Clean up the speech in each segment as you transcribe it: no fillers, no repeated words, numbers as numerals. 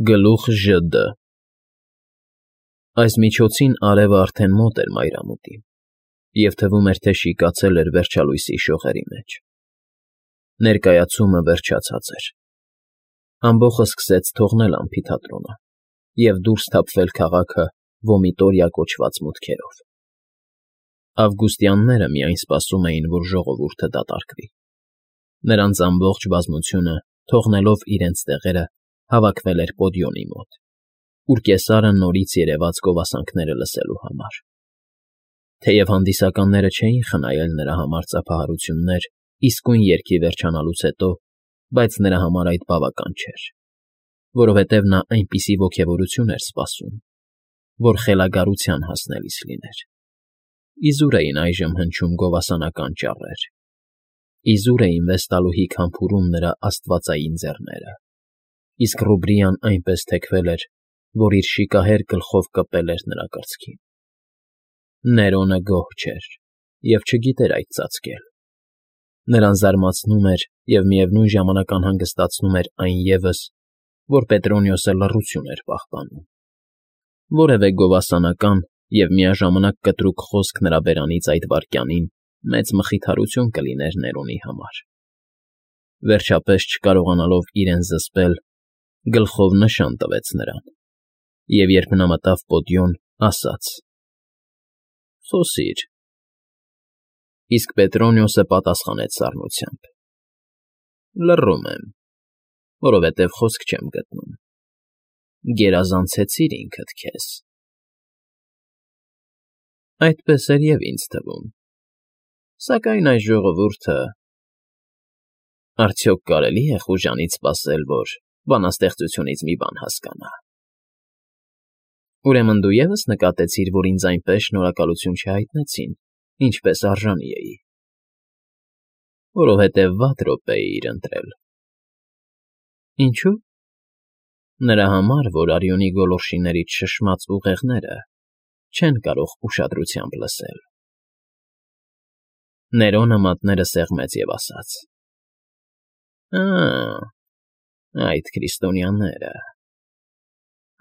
Գլուխ ԺԴ Այս միջոցին արևը արդեն մոտ էր մայրամուտին, և թվում էր, թե շիկացել էր վերջալույսի շողերի մեջ. ներկայացումը վերջացած էր. ամբոխը սկսեց թողնել ամֆիթատրոնը և դուրս թափվել քաղաքը Վոմիտորիա կոչված մուտքերով. ավգուստյանները միայն սպասում էին, որ ժողովուրդը դատարկվի. նրանց ամբողջ բազմությունը, թողնելով իրենց տեղերը, հավաքվել էր պոդիոմի մոտ, ուր կեսարը նորից երևաց գովասանքները լսելու համար. թեև հանդիսականները չէին խնայել նրա համար ծափահարություններ իսկույն երգի վերջանալուց հետո, բայց նրա համար այդ բավական չէր, որովհետև նա այնպիսի ոգևորություն էր սպասում, որ խելագարության հասնելիս լիներ. իզուր էին այժմ հնչում գովասանական ճառեր, իզուր էին վեստալուհի քամփուրում նրա աստվածային ձեռները, իսկ Ռուբրիան այնպես թեքվել էր, որ իր շիկահեր գլխով կպել էր նրա կրծքին. Ներոնը գոհ չէր և չգիտեր այդ ծածկել. նրան զարմացնում էր և միևնույն ժամանակ անհանգստացնում էր այն ևս, որ Պետրոնիոսը լռություն էր պահպանում. որևէ գովասանական և միաժամանակ կտրուկ խոսք նրա բերանից այդ վայրկյանին մեծ մխիթարություն կլիներ Ներոնի համար. վերջապես չկարողանալով իրեն զսպել, գլխով նշան տվեց նրան, և երբ նա մտավ պոդիոմ, ասաց. «Խոսիր»։ Իսկ Պետրոնիոսը պատասխանեց սառնությամբ. «Լռում եմ, որովհետև խոսք չեմ գտնում. գերազանցեցիր ինքդ քեզ»։ Այդպես էր և ինձ թվում, սակայն այս ժողովուրդը… Արդյոք կարելի է խուժանից սպասել, որ բանաստեղծությունից մի բան հասկանա։ Ուրեմն դու ևս նկատեցիր, որ ինձ այնպես շնորհակալություն չհայտնեցին, ինչպես արժանի էի, որովհետև վատ րոպե էիր ընտրել։ Ինչո՞ւ։ Նրա համար, որ արյունի գոլորշիներից շշմած ուղեղները չեն կարող ուշադրությամբ լսել։ Ներոնը մատները սեղմեց և ասաց. այդ քրիստոնյաները…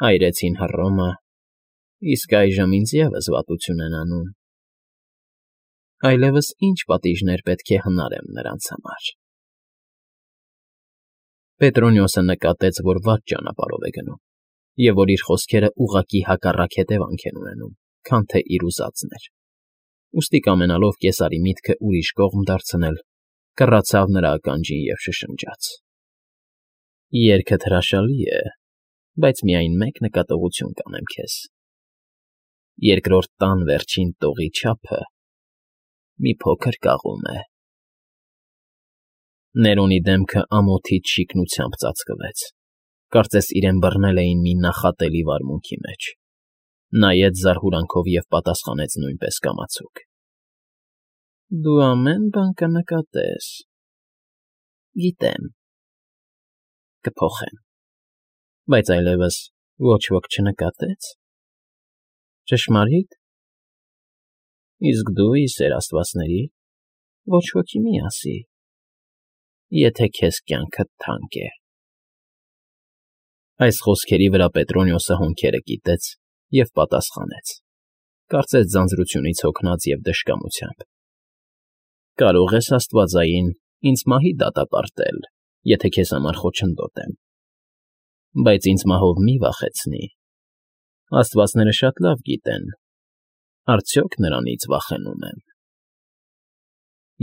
այրեցին Հռոմը, իսկ այժմ ինձ ևս վատություն են անում… այլևս ի՞նչ պատիժներ պետք է հնարեմ նրանց համար… Պետրոնիոսը նկատեց, որ վատ ճանապարհով է գնում, և որ իր խոսքերը ուղղակի հակառակ հետևանք են ունենում, քան թե իր ուզածն էր, ուստի կամենալով կեսարի միտքը ուրիշ կողմ դարձնել, կռացավ նրա ականջին և շշնջաց. երգդ հրաշալի է, բայց միայն մեկ նկատողություն կանեմ քեզ. երկրորդ տան վերջին տողի չափը մի փոքր կաղում է… Ներոնի դեմքը ամոթից շիկնությամբ ծածկվեց, կարծես իրեն բռնել էին մի նախատելի վարմունքի մեջ, նայեց զարհուրանքով և պատասխանեց նույնպես կամացուկ. Դու ամեն բան կնկատես… Գիտեմ… Կփոխեմ… Բայց այլևս ոչ ոք չնկատե՞ց… Ճշմարի՞տ… Իսկ դու, ի սեր աստվածների, ոչ ոքի մի ասի, եթե քեզ կյանքդ թանկ է… Այս խոսքերի վրա Պետրոնիոսը հոնքերը կիտեց և պատասխանեց, կարծես ձանձրությունից հոգնած և դժկամությամբ. Կարող ես աստվածային ինձ մահի դատապարտել, եթե քեզ համար խոչընդոտ եմ, բայց ինձ մահով մի վախեցնի… Աստվածները շատ լավ գիտեն… արդյոք նրանից վախենում եմ…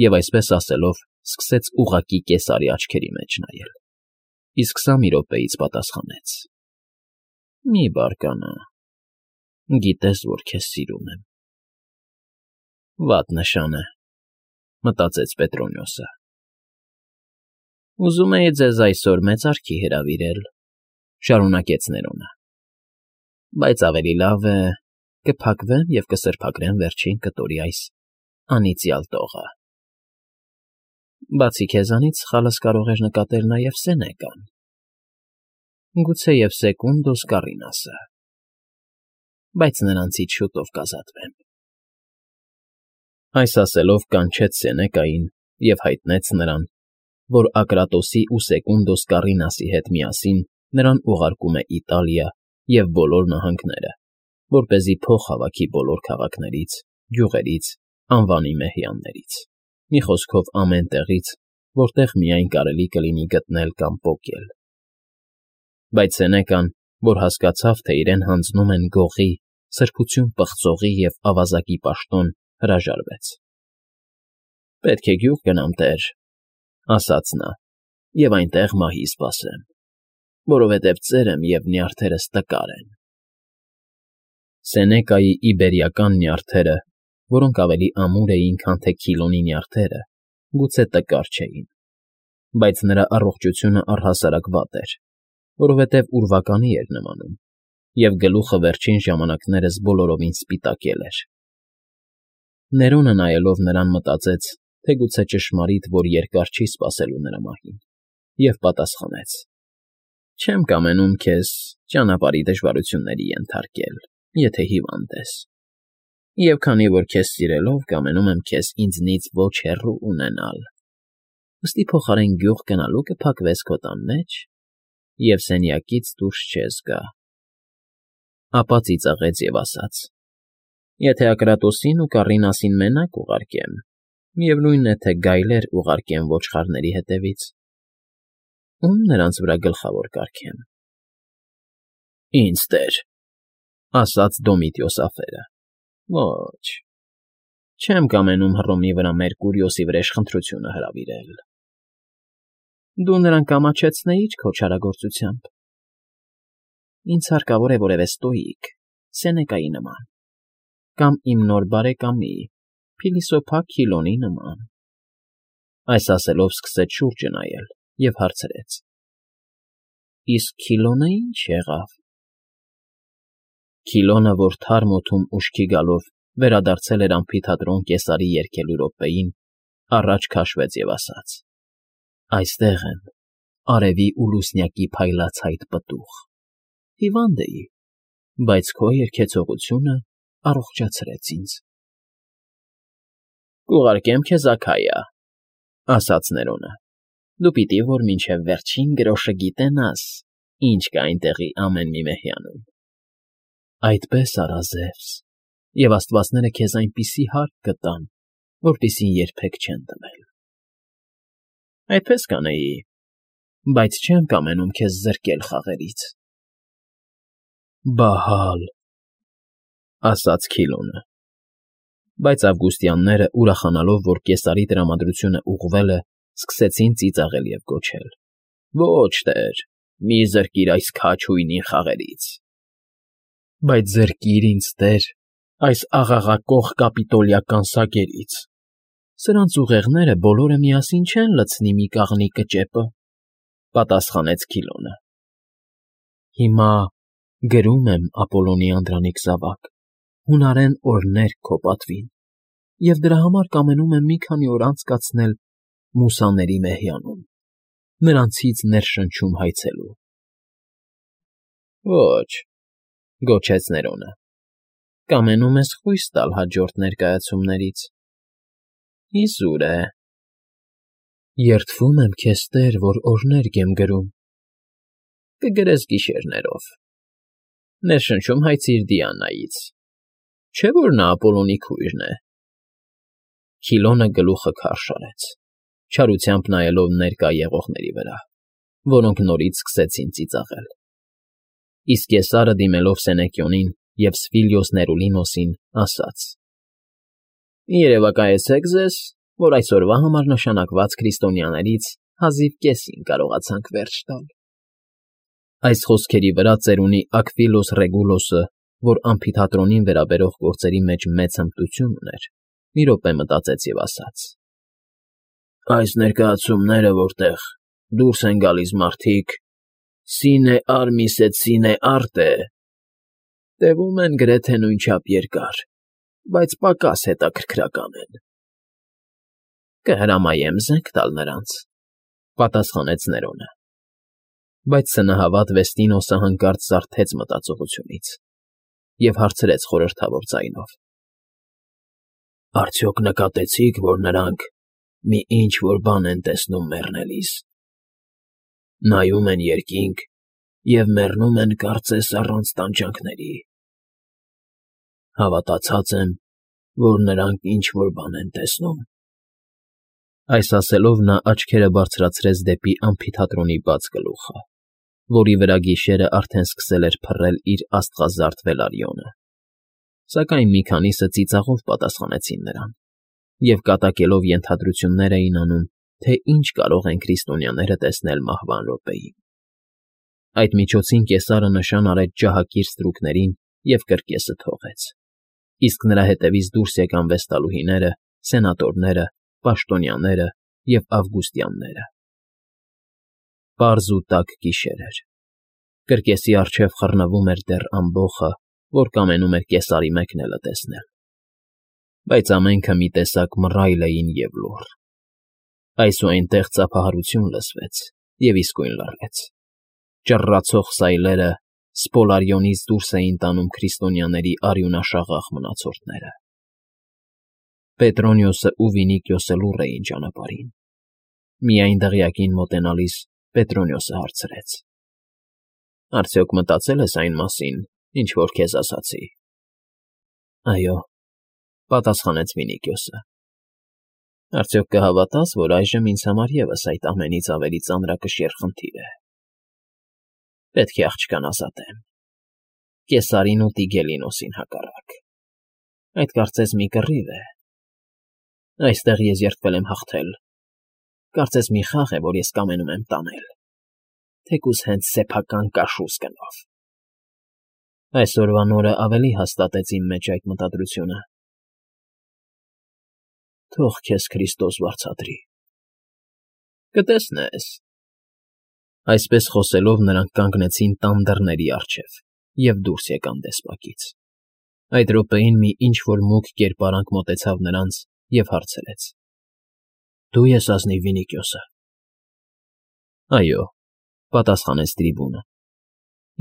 Եվ այսպես ասելով, սկսեց ուղղակի կեսարի աչքերի մեջ նայել, իսկ սա մի րոպեից պատասխանեց. Մի բարկանա… Գիտես, որ քեզ սիրում եմ… Վատ նշան է, մտածեց Պետրոնիոսը… Ուզում էի ձեզ այսօր մեծարքի հրավիրել, շարունակեց Ներոնը, բայց ավելի լավ է կփակվեմ և կսրբագրեմ վերջին կտորի այս անիծյալ տողը… Բացի քեզանից սխալս կարող էր նկատել նաև Սենեկան, գուցեև Սեկունդոս Կարինասը, բայց նրանցից շուտով կազատվեմ… Այս ասելով կանչեց Սենեկային և հայտնեց նրան, որ Ակրատոսի ու Սեկունդոս Կարինասի հետ միասին նրան ուղարկում է Իտալիա և բոլոր նահանգները, որպեսզի փող հավաքի բոլոր քաղաքներից, գյուղերից, անվանի մեհյաններից, մի խոսքով ամեն տեղից, որտեղ միայն կարելի կլինի գտնել կամ պոկել։ Բայց Սենեկան, որ հասկացավ, թե իրեն հանձնում են գողի, սրբություն պղծողի և ավազակի պաշտոն, հրաժարվեց։ «Պետք է գյուղ գնամ, տեր,֊ ասաց նա,֊ և այնտեղ մահի սպասեմ, որովհետև ծերեմ և նյարդերս տկար են»։ Սենեկայի իբերիական նյարդերը, որոնք ավելի ամուր էին, քան թե Քիլոնի նյարդերը, գուցե տկար չէին, բայց նրա առողջությունը առհասարակ վատ էր, որովհետև ուրվականի էր նմանում, և գլուխը վերջին ժամանակներս բոլորովին սպիտակել էր։ Ներոնը նայելով նրան մտածեց, թե գուցե ճշմարիտ, որ երկար չի սպասելու նրա մահին, և պատասխանեց. «Չեմ կամենում քեզ ճանապարհի դժվարությունների ենթարկել, եթե հիվանդ ես, և քանի որ քեզ սիրելով կամենում եմ քեզ ինձնից ոչ հեռու ունենալ, ուստի փոխարեն գյուղ գնալու կփակվես քո տան մեջ և սենյակից դուրս չես գա»։ Ապա ծիծաղեց և ասաց. «Եթե Ակրատոսին ու Կառինասին մենակ ուղարկեմ, միևնույն է, թե գայլեր ուղարկեմ ոչխարների հետևից, ո՞ւմ նրանց վրա գլխավոր կարգեմ»։ «Ինձ, տեր,֊ ասաց Դոմիտիոս ափերը,֊ ոչ, չեմ կամենում Հռոմի վրա Մերկուրիոսի վրեժ խնդրությունը հրավիրել»։ «Դու նրան կամաչեցնեիր քո չարագործությամբ։ Ինձ հարկավոր է որևէ ստոիկ, Սենեկայի նման, կամ իմ նոր բարեկամի, փիլիսոփա Քիլոնի նման»։ Այս ասելով սկսեց շուրջը նայել և հարցրեց. «Իսկ Քիլոնը ի՞նչ եղավ»։ Քիլոնը, որ թարմ օդում ուշքի գալով վերադարձել էր ամֆիթատրոն կեսարի երգելու րոպեին, առաջ քաշվեց և ասաց. «Այստեղ եմ, արևի ու լուսնյակի փայլացայտ պտուղ, հիվանդ էի, բայց քո երգեցողությունը առողջացրեց ինձ»։ «Կուղարկեմ քեզ Աքայա,֊ ասաց Ներոնը,֊ դու պիտի որ մինչև վերջին գրոշը գիտենաս, ինչ կա այնտեղի ամեն մի մեհյանում»։ «Այդպես արա, Զևս, և աստվածները քեզ այնպիսի հարկ կտան, որպիսին երբեք չեն տվել»։ «Այդպես կանեի, բայց չեմ կամենում քեզ զրկել խաղերից»։ «Բահալ,֊ ասաց Քիլոնը։ Բայց ավգուստյանները, ուրախանալով, որ կեսարի տրամադրությունը ուղղվել է, սկսեցին ծիծաղել և գոչել. «Ոչ, տեր, մի զրկիր այս քաջ֊հույնին խաղերից»։ «Բայց զրկիր ինձ, տեր, այս աղաղակող կապիտոլիական սագերից, սրանց ուղեղները բոլորը միասին չեն լցնի մի կաղնի կճեպը», պատասխանեց Քիլոնը։ «Հիմա գրում եմ, Ապոլոնի անդրանիկ զավակ, հունարեն օրհներ քո պատվին և դրա համար կամենում եմ մի քանի օր անցկացնել մուսաների մեհյանում, նրանցից ներշնչում հայցելու»։ «Ոչ,֊ գոչեց Ներոնը,֊ կամենում ես խույս տալ հաջորդ ներկայացումներից։ Իզուր է»։ «Երդվում եմ քեզ, տեր, որ օրհներգ եմ գրում»։ «Կգրես գիշերներով։ Ներշնչում հայցիր Դիանայից, չէ՞ որ նա Ապոլոնի քույրն է»։ Քիլոնը գլուխը քարշ արեց, չարությամբ նայելով ներկա եղողների վրա, որոնք նորից սկսեցին ծիծաղել։ Իսկ Կեսարը, դիմելով Սենեկիոնին և Սվիլիոս Ներուլինոսին, ասաց. «Երևակայեցեք ձեզ, որ այսօրվա համար նշանակված քրիստոնյաներից հազիվ կեսին կարողացանք վերջ տալ»։ Այս խոսքերի վրա ծերունի Աքվիլոս Ռեգուլոսը, որ ամֆիթատրոնին վերաբերող գործերի մեջ մեծ հմտություն ուներ, մի րոպե մտածեց և ասաց. «Այս ներկայացումները, որտեղ դուրս են գալիս մարդիկ «Սինե արմիս et sine arte», տևում են գրեթե նույնչափ երկար, բայց պակաս հետաքրքրական են»։ «Կհրամայեմ զենք տալ նրանց», պատասխանեց Ներոնը։ Բայց սնահավատ Վեստինոսը հանկարծ զարթեց մտածողությունից և հարցրեց խորհրդավոր ձայնով. «Արդյոք նկատեցի՞ք, որ նրանք մի ինչ֊որ բան են տեսնում մեռնելիս։ Նայում են երկինք և մեռնում են, կարծես, առանց տանջանքների։ Հավատացած եմ, որ նրանք ինչ֊որ բան են տեսնում։ Այս ասելով նա աչքերը բարձրացրեց դեպի ամֆիթատրոնի բաց գլուխը, որի վրա գիշերն արդեն սկսել էր փռել իր աստղազարդ վելարիոնը, սակայն մի քանիսը ծիծաղով պատասխանեցին նրան և կատակելով ենթադրություններ էին անում, թե ինչ կարող են քրիստոնյաները տեսնել մահվան րոպեին։ Այդ միջոցին կեսարը նշան արեց ջահակիր ստրուկներին և կրկեսը թողեց, իսկ նրա հետևից դուրս եկան վեստալուհիները, սենատորները, պաշտոնյաները և ավգուստյանները։ Պարզ ու տաք գիշեր էր։ Կրկեսի առջև խռնվում էր դեռ ամբոխը, որ կամենում էր կեսարի մեկնելը տեսնել, բայց ամենքը մի տեսակ մռայլ էին և լուռ։ Այս ու այնտեղ ծափահարություն լսվեց և իսկույն լռեց։ Ճռռացող սայլերը Սպոլարիոնից դուրս էին տանում քրիստոնյաների արյունաշաղախ մնացորդները։ Պետրոնիոսն ու Վինիքիոսը լուռ էին ճանապարհին։ Միայն դղյակին մոտենալիս Պետրոնիոսը հարցրեց. «Արդյոք մտածել ես այն մասին, ինչ որ քեզ ասացի»։ «Այո», պատասխանեց Վինիքիոսը։ «Արդյոք կհավատաս, որ այժմ ինձ համար ևս այդ ամենից ավելի ծանրակշիռ խնդիր է։ Պետք է աղջկան ազատեմ, Կեսարին ու Տիգելինոսին հակառակ։ Այդ կարծես մի կռիվ է։ Այստեղ ես երդվել եմ հաղթել, կարծես մի խաղ է, որ ես կամենում եմ տանել, թեկուզ հենց սեփական կաշուզ գնով»։ Այսօրվա նորն ավելի հաստատեց իմ մեջ այդ մտադրությունը։ Թող քեզ Քրիստոս վարձատրի։ Կտեսնես։ Այսպես խոսելով նրանք կանգնեցին տան դռների առջև և դուրս եկան դեսպակից։ Այդ րոպեին մի ինչ֊որ մուգ կերպարանք մոտեցավ նրանց և հարցրեց. «Դու ես ազնիվ Վինիքիոսը»։ «Այո», պատասխանեց Տրիբունը։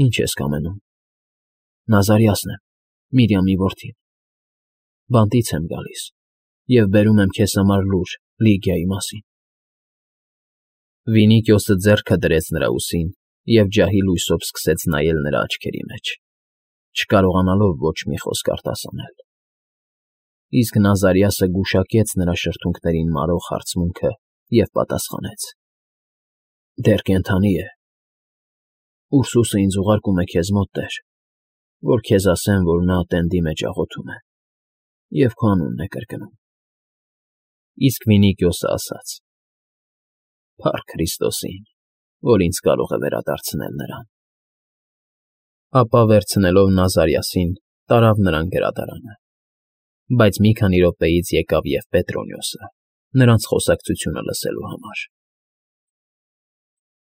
«Ինչ ես կամենում»։ «Նազարիասն եմ, Միրիամի որդին։ Բանտից եմ գալիս և բերում եմ քեզ համար լուր Լիգիայի մասին»։ Վինիքիոսը ձեռքը դրեց նրա ուսին և ջահի լույսով սկսեց նայել նրա աչքերի մեջ, չկարողանալով ոչ մի խոսք արտասանել։ Իսկ Նազարիասը գուշակեց նրա շրթունքներին մարող հարցմունքը և պատասխանեց. «Դեռ կենդանի է։ Ուրսուսը ինձ ուղարկում է քեզ մոտ, տեր, որ քեզ ասեմ, որ նա տենդի մեջ աղոթում է և քո անունն է կրկնում»։ Իսկ Վինիքիոսը ասաց. «Փառք Քրիստոսին, որ ինձ կարող է վերադարձնել նրան»։ Ապա վերցնելով Նազարիասին, տարավ նրան գրադարանը։ Բայց մի քանի րոպեից եկավ և Պետրոնիոսը, նրանց խոսակցությունը լսելու համար։